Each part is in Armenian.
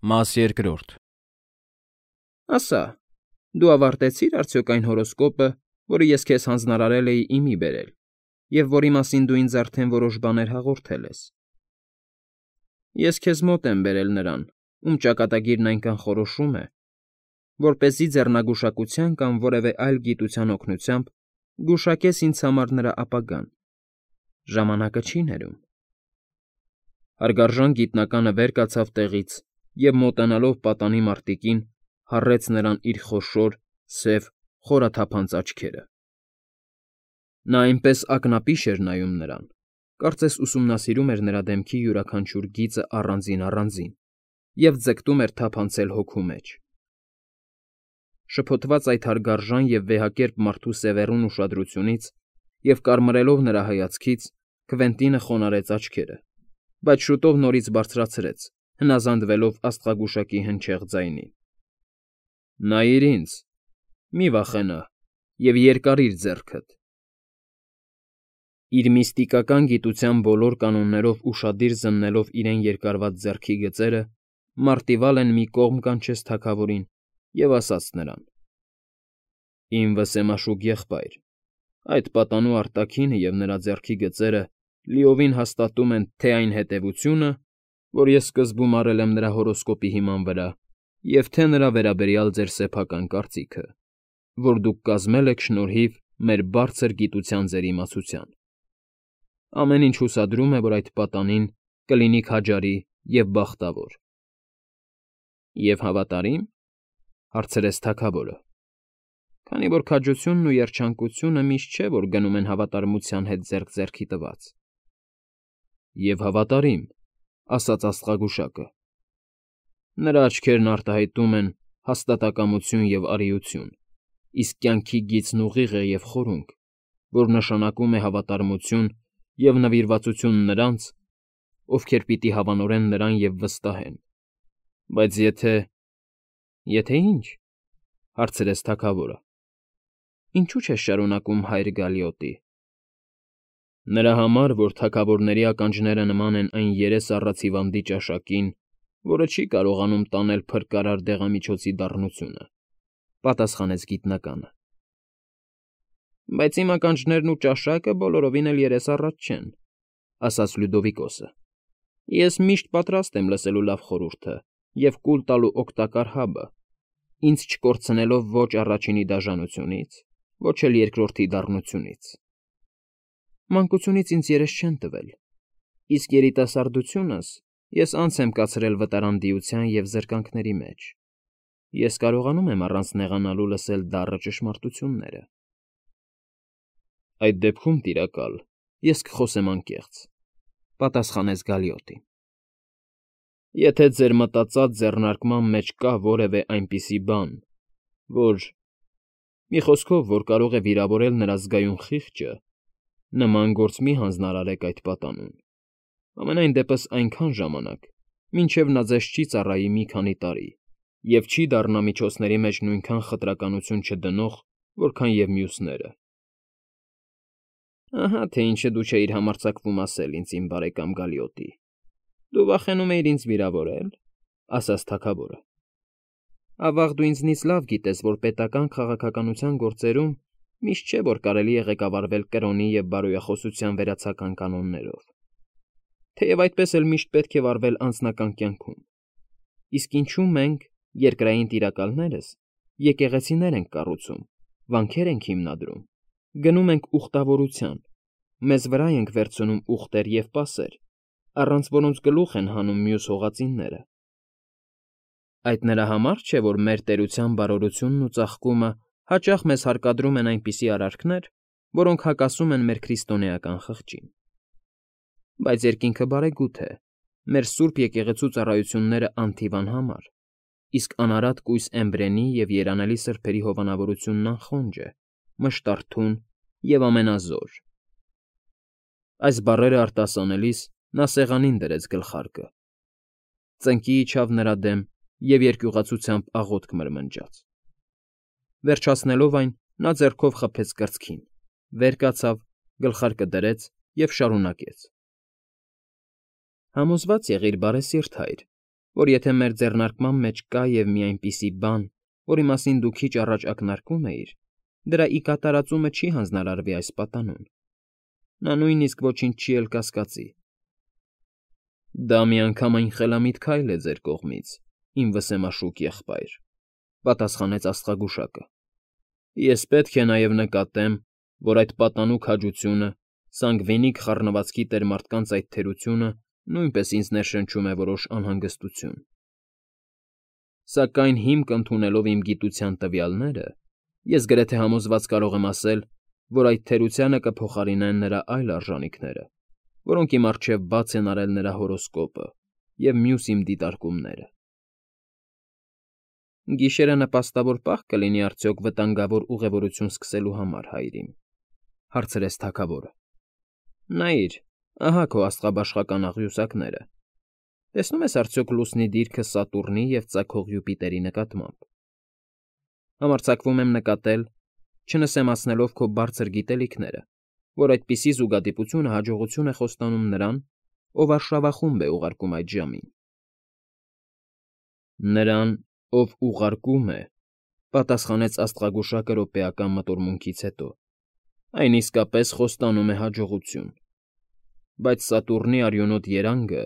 Մաս երկրորդ։ Ասա, դու ավարտեցի՞ր արդյոք այն հորոսկոպը, որը ես քեզ հանձնարարել էի իմի բերել, և որի մասին դու ինձ արդեն որոշ բաներ հաղորդել ես։ Ես քեզ մոտ եմ բերել նրան, ում ճակատագիրն այնքան խորոշում է, որպեսզի ձեռնագուշակության կամ որևէ այլ գիտության օգնությամբ գուշակես ինձ համար նրա ապագան։ Ժամանակը չի ներում։ Հարգարժան գիտնականը վեր կացավ տեղից և, մոտենալով պատանի մարտիկին, հառեց նրան իր խոշոր, սև, խորաթափանց աչքերը։ Նա այնպես ակնապիշ էր նայում նրան, կարծես ուսումնասիրում էր նրա դեմքի յուրաքանչյուր գիծը առանձին և ձգտում էր թափանցել հոգու մեջ։ Շփոթված այդ հարգարժան և վեհակերպ մարդու սևեռուն ուշադրությունից և կարմրելով նրա հայացքից, Քվենտինը խոնարհեց աչքերը, բայց շուտով նորից բարձրացրեց, հնազանդվելով աստղագուշակի հնչեղ ձայնին։ ֊ Նայիր ինձ, մի վախենա և երկար»։ Իր միստիկական գիտության բոլոր կանոններով ուշադիր զննելով իրեն երկարված ձեռքի գծերը, մարտիվալեն մի կողմ կանչեց թագավորին և ասաց նրան. «Իմ վսեմաշուկ եղբայր, այդ պատանու արտաքինը և նրա ձեռքի գծերը լիովին հաստատում են թե՛ այն հետևությունը, որ ես սկզբում արել եմ նրա հորոսկոպի հիման վրա, և թե՛ նրա վերաբերյալ ձեր սեփական կարծիքը, որ դուք կազմել եք շնորհիվ մեր բարձր գիտության ձեր իմացության։ Ամեն ինչ հուսադրում է, որ այդ պատանին կլինի քաջարի և բախտավոր»։ ֊ Եվ հավատարի՞մ,֊ հարցրեց թագավորը, քանի որ քաջությունն ու երջանկությունը միշտ չէ, որ գնում են հավատարմության հետ ձեռք ձեռքի տված։ ֊ Եվ հավատարիմ,֊ ասաց աստղագուշակը։ Նրա աչքերն արտահայտում են հաստատակամություն և արիություն, իսկ կյանքի գիծն ուղիղ է և խորունկ, որ նշանակում է հավատարմություն և նվիրվածություն նրանց, ովքեր պիտի հավանորեն նրան և վստահեն։ Բայց եթե… ֊ Եթե ի՞նչ,֊ հարցրեց թագավորը։ ֊ Ինչու՞ չես շարունակում հայր Գալիոտի։ ֊ Նրա համար, որ թագավորների ականջները նման են այն երես առած հիվանդի ճաշակին, որը չի կարողանում տանել փրկարար դեղամիջոցի դառնությունը,֊ պատասխանեց գիտնականը։ ֊ Բայց իմ ականջներն ու ճաշակը բոլորովին էլ երես առած չեն,֊ ասաց Լյուդովիկոսը։ Ես միշտ պատրաստ եմ լսելու լավ խորհուրդը և կուլ տալու օգտակար հաբը, ինձ չկորցնելով ոչ առաջինի դաժանությունից, ոչ էլ երկրորդի դառնությունից։ Մանկությունից ինձ երես չեն տվել, իսկ երիտասարդությունս ես անց եմ կացրել վտարանդիության և զրկանքների մեջ։ Ես կարողանում եմ առանց նեղանալու լսել դառը ճշմարտությունները։ ֊ Այդ դեպքում, տիրակալ, ես կխոսեմ անկեղծ,֊ պատասխանեց Գալիոտին։ Եթե ձեր մտածած ձեռնարկման մեջ կա որևէ այնպիսի բան, որ… մի խոսքով, որ կարող է վիրավորել նրա զգայուն խիղճը, նման գործ մի հանձնարարեք այդ պատանուն, համենայն դեպս այնքան ժամանակ, մինչև նա ձեզ չի ծառայի մի քանի տարի և չի դառնա միջոցների մեջ նույնքան խտրականություն չդնող, որքան և մյուսները։ ֊ Ահա թե ինչը դու չէիր համարձակվում ասել ինձ, իմ բարեկամ Գալիոտի, դու վախենում էիր ինձ վիրավորել,֊ ասաց թագավորը։ Ավաղ դու ինձնից լավ գիտես, որ պետական քաղաքականության գործերում միշտ չէ, որ կարելի է ղեկավարվել կրոնի և բարոյախոսության վերացական կանոններով, թեև այդպես էլ միշտ պետք է վարվել անձնական կյանքում, իսկ ինչու մենք, երկրային տիրակալներս, եկեղեցիներ ենք կառուցում, վանքեր ենք հիմնադրում, գնում ենք ուխտավորության, մեզ վրա ենք վերցնում ուղտեր և պասեր, առանց որոնց գլուխ են հանում մյուս հողածինները։ Այդ նրա համար չէ, որ մեր տերության բարօրությունն ու ծաղկումը հաճախ մեզ հարկադրում են այնպիսի արարքներ, որոնք հակասում են մեր քրիստոնեական խղճին։ Բայց երկինքը բարեգութ է, մեր սուրբ եկեղեցու ծառայությունները անթիվ անհամար, իսկ անարատ կույս Էմբրենի և երանելի սրբերի հովանավորությունն անխոնջ է, մշտարթուն և ամենազոր։ Այս բառերը արտասանելիս նա սեղանին դրեց գլխարկը, ծնկի իջավ նրա դեմ և երկյուղացությամբ աղոթք մրմնջաց։ Վերջացնելով այն, նա ձեռքով խփեց կրծքին, վեր կացավ, գլխարկը դրեց և շարունակեց. Համոզված եղիր, բարեսիրտ հայր, որ եթե մեր ձեռնարկման մեջ կա և մի այնպիսի բան, որի մասին դու քիչ առաջ ակնարկում էիր, դրա ի կատարածումը չի հանձնարարվի այս պատանուն։ Նա նույնիսկ ոչինչ չի էլ կասկածի։ Դա միանգամայն խելամիտ քայլ է ձեր կողմից, իմ վսեմաշուկ եղբայր, պատասխանեց աստղագուշակը։ Ես պետք է նաև նկատեմ, որ այդ պատանու քաջությունը, սանգվինիկ խառնվածքի տեր մարդկանց այդ թերությունը նույնպես ինձ ներշնչում է որոշ անհանգստություն։ Սակայն հիմք ընդունելով իմ գիտության տվյալները, ես գրեթե համոզված կարող եմ ասել, որ այդ թերությանը կփոխարինեն նրա այլ արժանինքները, որոնք իմ առջև բաց են արել նրա հորոսկոպը և մյուս իմ դիտարկումները։ Գիշերը նպաստավոր պահ կլինի արդյոք վտանգավոր ուղևորություն սկսելու համար, հայրիկ,֊ հարցրեց թագավորը։ Նայիր, ահա քո աստղաբաշխական աղյուսակները։ Տեսնում ես արդյոք լուսնի դիրքը Սատուրնի և ծագող Յուպիտերի նկատմամբ։ Համարձակվում եմ նկատել, չնսեմացնելով քո բարձր գիտելիքները, որ այդպիսի զուգադիպությունը հաջողություն է խոստանում նրան, ով արշավախումբ է ուղարկում այդ ժամին։ Նրան, ով ուղարկում է, պատասխանեց աստղագուշակը րոպեական մտորմունքից հետո, այն իսկապես խոստանում է հաջողություն, բայց Սատուրնի արյունոտ երանգը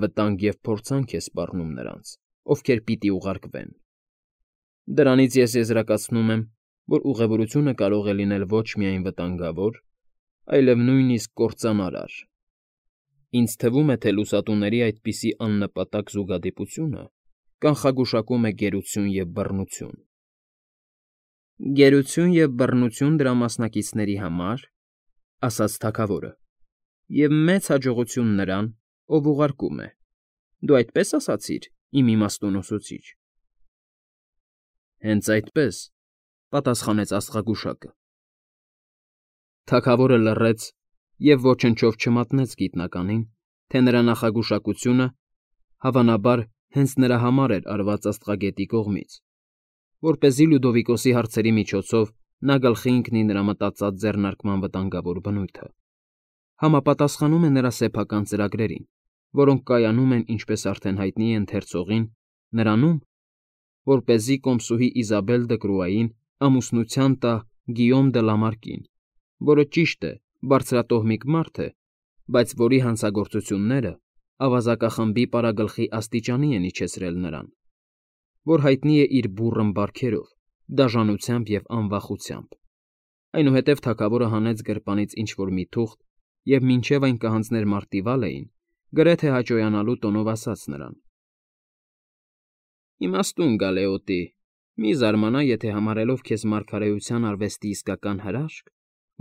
վտանգ և փորձանք է սպառնում նրանց, ովքեր պիտի ուղարկվեն։ Դրանից ես եզրակացնում եմ, որ ուղևորությունը կարող է լինել ոչ միայն վտանգավոր, այլև նույնիսկ կործանարար։ Ինձ թվում է, թե լուսատուների այդպիսի աննպատակ զուգադիպությունը կանխագուշակում է գերություն և բռնություն։ Գերություն և բռնություն դրա մասնակիցների համար, ասաց թագավորը, և մեծ հաջողություն նրան, ով ուղարկում է։ Դու այդպես ասացիր, իմ իմաստուն ուսուցիչ։ Հենց այդպես, պատասխանեց աստղագուշակը։ Թագավորը լռեց և ոչնչով չմատնեց գիտնականին, թե նրա նախագուշակությունը, հավանաբար, հենց նրա համար էր արված աստղագետի կողմից, որպեսզի Լյուդովիկոսի հարցերի միջոցով նա գլխի ընկնի նրա մտածած ձեռնարկման վտանգավոր բնույթը, համապատասխանում է նրա սեփական ծրագրերին, որոնք կայանում են, ինչպես արդեն հայտնի է ընթերցողին, նրանում, որպեսզի կոմսուհի Իզաբել դը Կրուային ամուսնության տա Գիյոմ դը Լամարկին, որը, ճիշտ է, բարձրատոհմիկ մարդ է, բայց որի հանցագործությունները ավազակախմբի պարագլխի աստիճանի են իջեցրել նրան, որ հայտնի է իր բուռն բարքերով, դաժանությամբ և անվախությամբ։ Այնուհետև թագավորը հանեց գրպանից ինչ֊որ մի թուղթ և մինչև այն կհանձներ մարտիվալեին, գրեթե հաճոյանալու տոնով ասաց նրան. Իմաստուն գալեոտի, մի զարմանա, եթե համարելով քեզ մարգարեության արվեստի իսկական հրաշք,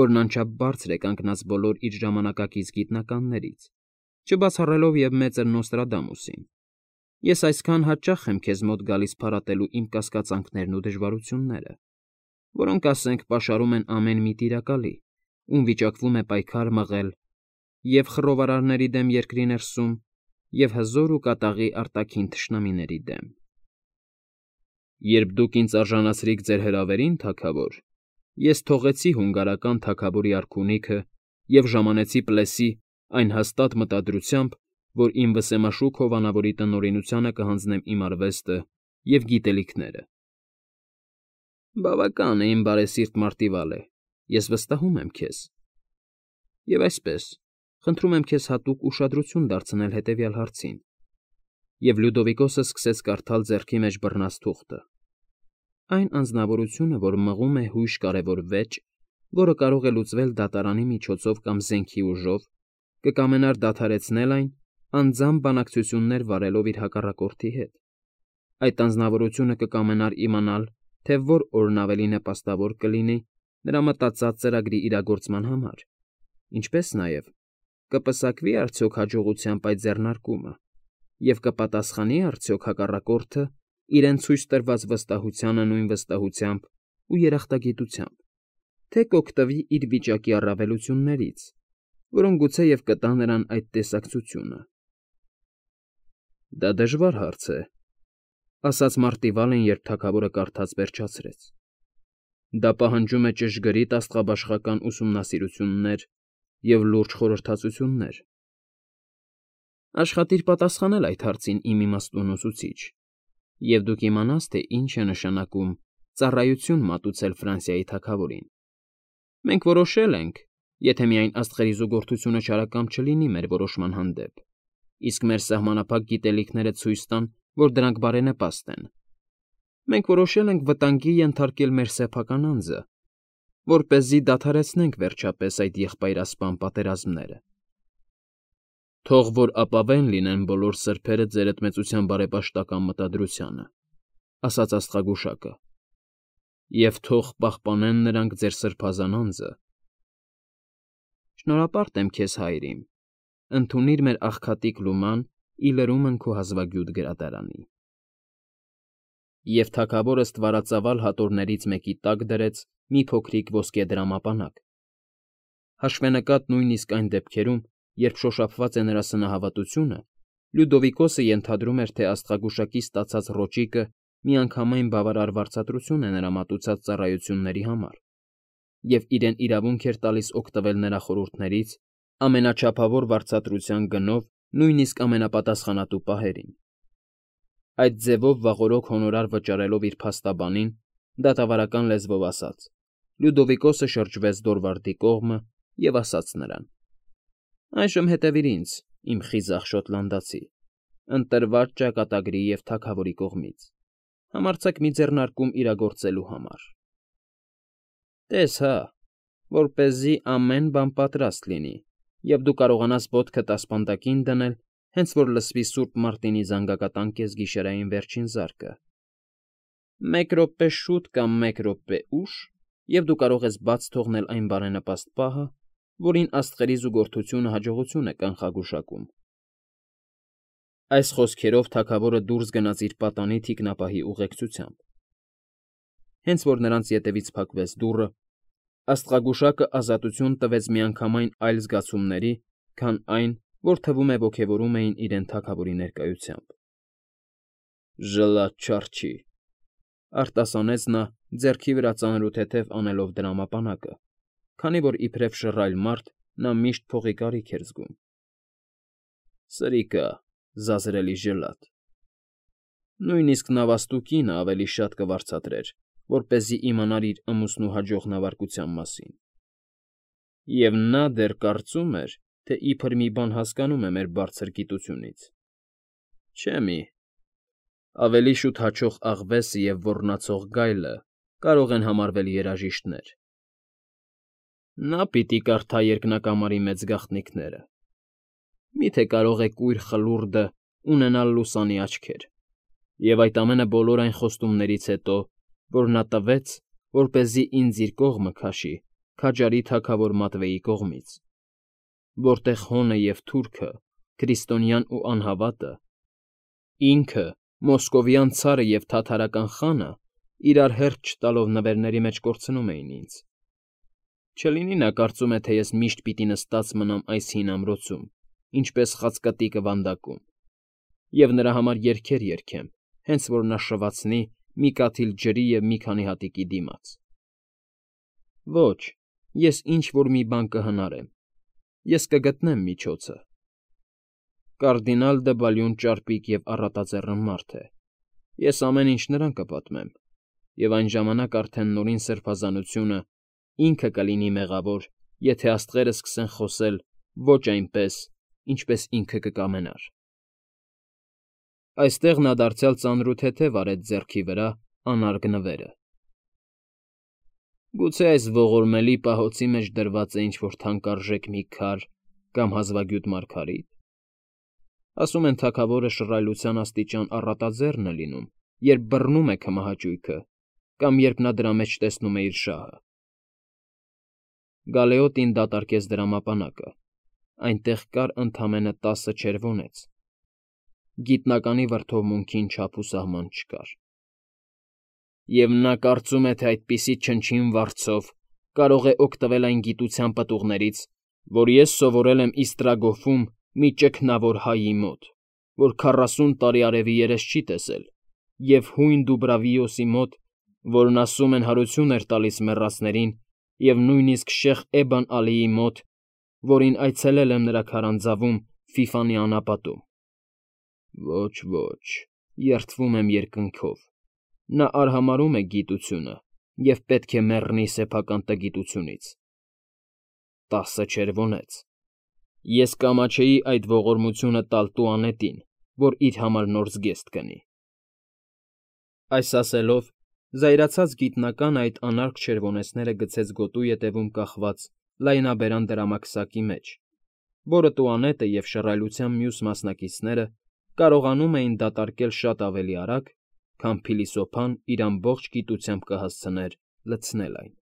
որն անչափ բարձր է կանգնած բոլոր իր ժամանակակից գիտնականներից, չբացառելով և մեծր Նոստրադամուսին, ես այսքան հաճախ եմ քեզ մոտ գալիս փարատելու իմ կասկածանքներն ու դժվարությունները, որոնք, ասենք, պաշարում են ամեն մի տիրակալի, ում վիճակվում է պայքար մղել և՛ խռովարարների դեմ երկրի ներսում, և՛ հզոր ու կատաղի արտաքին թշնամիների դեմ։ Երբ դուք ինձ արժանացրիք ձեր հրավերին, թագավոր, ես թողեցի հունգարական թագավորի արքունիքը և ժամանեցի Պլեսի այն հաստատ մտադրությամբ, որ իմ վսեմաշուկ հովանավորի տնօրինությանը կհանձնեմ իմ արվեստը և գիտելիքները։ Բավական է, իմ բարեսիրտ Մարտիվալե, ես վստահում եմ քեզ։ Եվ այսպես, խնդրում եմ քեզ հատուկ ուշադրություն դարձնել հետևյալ հարցին։ Եվ Լյուդովիկոսը սկսեց կարդալ ձեռքի մեջ բռնած թուղթը։ Այն անձնավորությունը, որ մղում է հույժ կարևոր վեճ, որը կարող է լուծվել դատարանի միջոցով կամ զենքի ուժով, կկամենար դադարեցնել այն, անձամբ բանակցություններ վարելով իր հակառակորդի հետ։ Այդ անձնավորությունը կկամենար իմանալ, թե որ օրն ավելի նպաստավոր կլինի նրա մտածած ծրագրի իրագործման համար, ինչպես նաև կպսակվի արդյոք հաջողությամբ այդ ձեռնարկումը և կպատասխանի արդյոք հակառակորդը իրեն ցույց տրված վստահությանը նույն վստահությամբ ու երախտագիտությամբ, թե կօգտվի իր վիճակի առավելություններից, որոնք գուցեև կտա նրան այդ տեսակցությունը։ Դա դժվար հարց է, ասաց Մարտիվալեն, երբ թագավորը կարդաց վերջացրեց։ Դա պահանջում է ճշգրիտ աստղաբաշխական ուսումնասիրություններ և լուրջ խորհրդածություններ։ Աշխատիր պատասխանել այդ հարցին, իմ իմաստուն ուսուցիչ, և դու կիմանաս, թե ինչ է նշանակում ծառայություն մատուցել Ֆրանսիայի թագավորին։ Մենք որոշել ենք, եթե միայն աստղերի զուգորդությունը չարակամ չլինի մեր որոշման հանդեպ, իսկ մեր սահմանափակ գիտելիքները ցույց տան, որ դրանք բարենպաստ են։ Մենք որոշել ենք վտանգի ենթարկել մեր սեփական անձը, որպեսզի դադարեցնենք վերջապես այդ եղբայրասպան պատերազմները։ Թող որ ապավեն լինեն բոլոր սրբերը ձերդ մեծության բարեպաշտական մտադրությանը, ասաց աստղագուշակը, և թող պահպանեն նրանք ձեր սրբազան անձը։ Շնորհապարտ եմ քեզ, հայր իմ, ընդունիր մեր աղքատիկ լուման ի լրումն քո հազվագյուտ գրադարանի։ Եվ թագավորը ստվարածավալ հատորներից մեկի տակ դրեց մի փոքրիկ ոսկե դրամապանակ։ Հաշվենկատ նույնիսկ այն դեպքերում, երբ շոշափված է նրա սնահավատությունը, Լյուդովիկոսը ենթադրում էր, թե աստղագուշակի ստացած ռոճիկը միանգամայն բավարար վարձատրություն է նրա մատուցած ծառայությունների համար, և իրեն իրավունք էր տալիս օգտվել նրա խորհուրդներից ամենաչափավոր վարձատրության գնով նույնիսկ ամենապատասխանատու պահերին։ Այդ ձևով վաղօրոք հոնորար վճարելով իր փաստաբանին, դատավարական լեզվով ասաց, Լյուդովիկոսը շրջվեց Դորվարդի կողմը և ասաց նրան. «Այժմ հետևիր ինձ, իմ խիզախ շոտլանդացի, ընտրված ճակատագրի և թագավորի կողմից, համարձակ մի ձեռնարկում իրագործելու համար։ Տես հա, որպեսզի ամեն բան պատրաստ լինի, և դու կարողանաս ոտքդ ասպանդակին դնել, հենց որ լսվի Սուրբ Մարտինի զանգակատան կեսգիշերային վերջին զարկը։ Մեկ րոպե շուտ կամ մեկ րոպե ուշ, և դու կարող ես բաց թողնել այն բարենպաստ պահը, որին աստղերի զուգորդությունը հաջողություն է կանխագուշակում»։ Այս խոսքերով թագավորը դուրս գնաց իր պատանի թիկնապահի ուղեկցությամբ։ Հենց որ նրանց ետևից փակվեց դուռը, աստղագուշակը ազատություն տվեց միանգամայն այլ զգացումների, քան այն, որ թվում է ոգևորում էին իրեն թագավորի ներկայությամբ։ «Ժլատ չարչի», արտասանեց նա, ձեռքի վրա ծանրութեթև անելով դրամապանակը, քանի որ իբրև շռայլ մարդ նա միշտ փողի կարիք էր զգում։ «Սրիկա, զազրելի ժլատ։ Նույնիսկ նավաստու կինը ավելի շատ կվարձատրեր, որպեսզի իմանար իր ամուսնու հաջող նավարկության մասին։ Եվ նա դեռ կարծում էր, թե իբր մի բան հասկանում է մեր բարձր գիտությունից։ Չէ՞ մի, ավելի շուտ հաչող աղվեսը և ոռնացող գայլը կարող են համարվել երաժիշտներ։ Նա պիտի կարդա երկնակամարի մեծ գաղտնիքները։ Մի՞թե կարող է կույր խլուրդը ունենալ լուսանի աչքեր, և այդ ամենը բոլոր այն խոստումներից հետո, որ նա տվեց, որպեսզի ինձ իր կողմը քաշի քաջարի թագավոր Մատվեի կողմից, որտեղ հոնը և թուրքը, քրիստոնյան ու անհավատը, ինքը, մոսկովյան ցարը և թաթարական խանը իրար հերթ չտալով նվերների մեջ կորցնում էին ինձ։ Չլինի նա կարծում է, թե ես միշտ պիտի նստած մնամ այս հին ամրոցում, ինչպես խացկտիկը վանդակում, և նրա համար երգեր երգեմ, հենց որ նա շվացնի մի կաթիլ ջրի և մի քանի հատիկի դիմաց։ Ոչ, ես ինչ֊որ մի բան կհնարեմ, ես կգտնեմ միջոցը։ Կարդինալ դը Բալյուն ճարպիկ և առատաձեռն մարդ է, ես ամեն ինչ նրան կպատմեմ, և այն ժամանակ արդեն Նորին Սրբազանությունը ինքը կլինի մեղավոր, եթե աստղերը սկսեն խոսել ոչ այնպես, ինչպես ինքը կկամենար։ Այստեղ նա դարձյալ ծանրութեթև արեց ձեռքի վրա անարգ նվերը։ Գուցե այս ողորմելի պահոցի մեջ դրված է ինչ֊որ թանկարժեք մի քար կամ հազվագյուտ մարգարիտ։ Ասում են թագավորը շռայլության աստիճան առատաձեռն է լինում, երբ բռնում է քմահաճույքը կամ երբ նա դրա մեջ տեսնում է իր շահը։ Գալեոտին դատարկեց դրամապանակը, այնտեղ կար ընդամենը 10 չերվոնեց։ Գիտնականի վրդովմունքին չափ ու սահման չկար։ Եվ նա կարծում է, թե այդպիսի չնչին վարձով կարող է օգտվել այն գիտության պտուղներից, որ ես սովորել եմ Իստրագոֆում մի ճգնավոր հայի մոտ, որ 40 տարի արևի երես չի տեսել, և հույն Դուբրավիոսի մոտ, որն ասում են հարություն էր տալիս մեռածներին, և նույնիսկ Շեխ Էբան Ալիի մոտ, որին այցելել եմ նրա քարանձավում, Ֆիֆանի անապատում։ Ոչ, երդվում եմ երկնքով։ Նա արհամարհում է գիտությունը և պետք է մեռնի սեփական տգիտությունից։ 10 չերվոնեց։ Ես կամաչեի այդ ողորմությունը տալ տուանետին, որ իր համար նոր զգեստ կնի։ Այս ասելով, զայրացած գիտնականը այդ անարգ չերվոնեցները գցեց գոտու ետևում կախված լայնաբերան դրամարկսակի մեջ, որը տուանետը և շռայլության մյուս մասնակիցները կարողանում էին դատարկել շատ ավելի արագ, քան փիլիսոփան իր ամբողջ գիտությամբ կհասցներ լցնել այն։